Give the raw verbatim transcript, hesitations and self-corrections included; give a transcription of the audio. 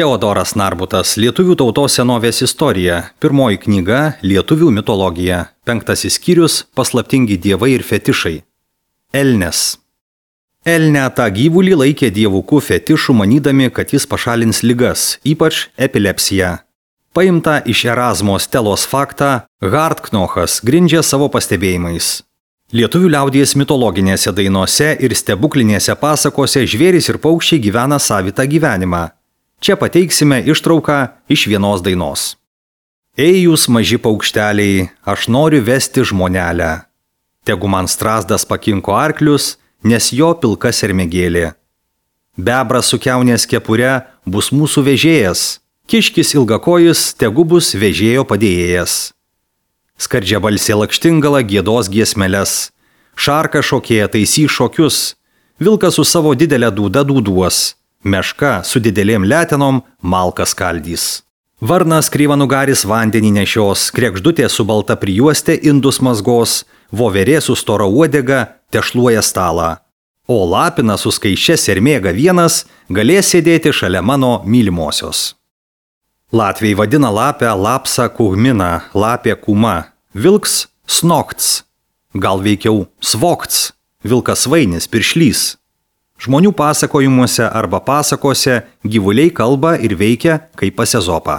Teodoras Narbutas, Lietuvių tautos senovės istorija, pirmoji knyga Lietuvių mitologija, penktasis skyrius Paslaptingi dievai ir fetišai. Elnes. Elnę tą gyvulį laikė dievukų fetišų, manydami, kad jis pašalins ligas, ypač epilepsiją. Paimta iš Erazmo Stelos faktą, Hardknochas grindžia savo pastebėjimais. Lietuvių liaudies mitologinėse dainose ir stebuklinėse pasakose žvėrys ir paukščiai gyvena savitą gyvenimą. Čia pateiksime ištrauką iš vienos dainos. Ei jūs maži paukšteliai, aš noriu vesti žmonelę. Tegu man strazdas pakinko arklius, nes jo pilka sermėgėlė. Bebras su kiaunės kepure bus mūsų vežėjas, kiškis ilgakojis tegu bus vežėjo padėjėjas. Skardžia balsė lakštingala giedos giesmeles, šarka šokėja taisys šokius, vilkas su savo didelė dūda dūduos, meška su didelėm letenom malką skaldys. Varnas kryvanugaris vandenį nešios, krekždutė su balta prijuostė indus mazgos, voverė su stora uodega tešluoja stalą. O lapina su skaičia sermėga vienas galės sėdėti šalia mano mylimosios. Latviai vadina lapę lapsa kuhmina, lapė kuma, vilks snokts, gal veikiau svokts, vilkas vainis, piršlys. Žmonių pasakojimuose arba pasakose gyvuliai kalba ir veikia kaip pas Ezopą.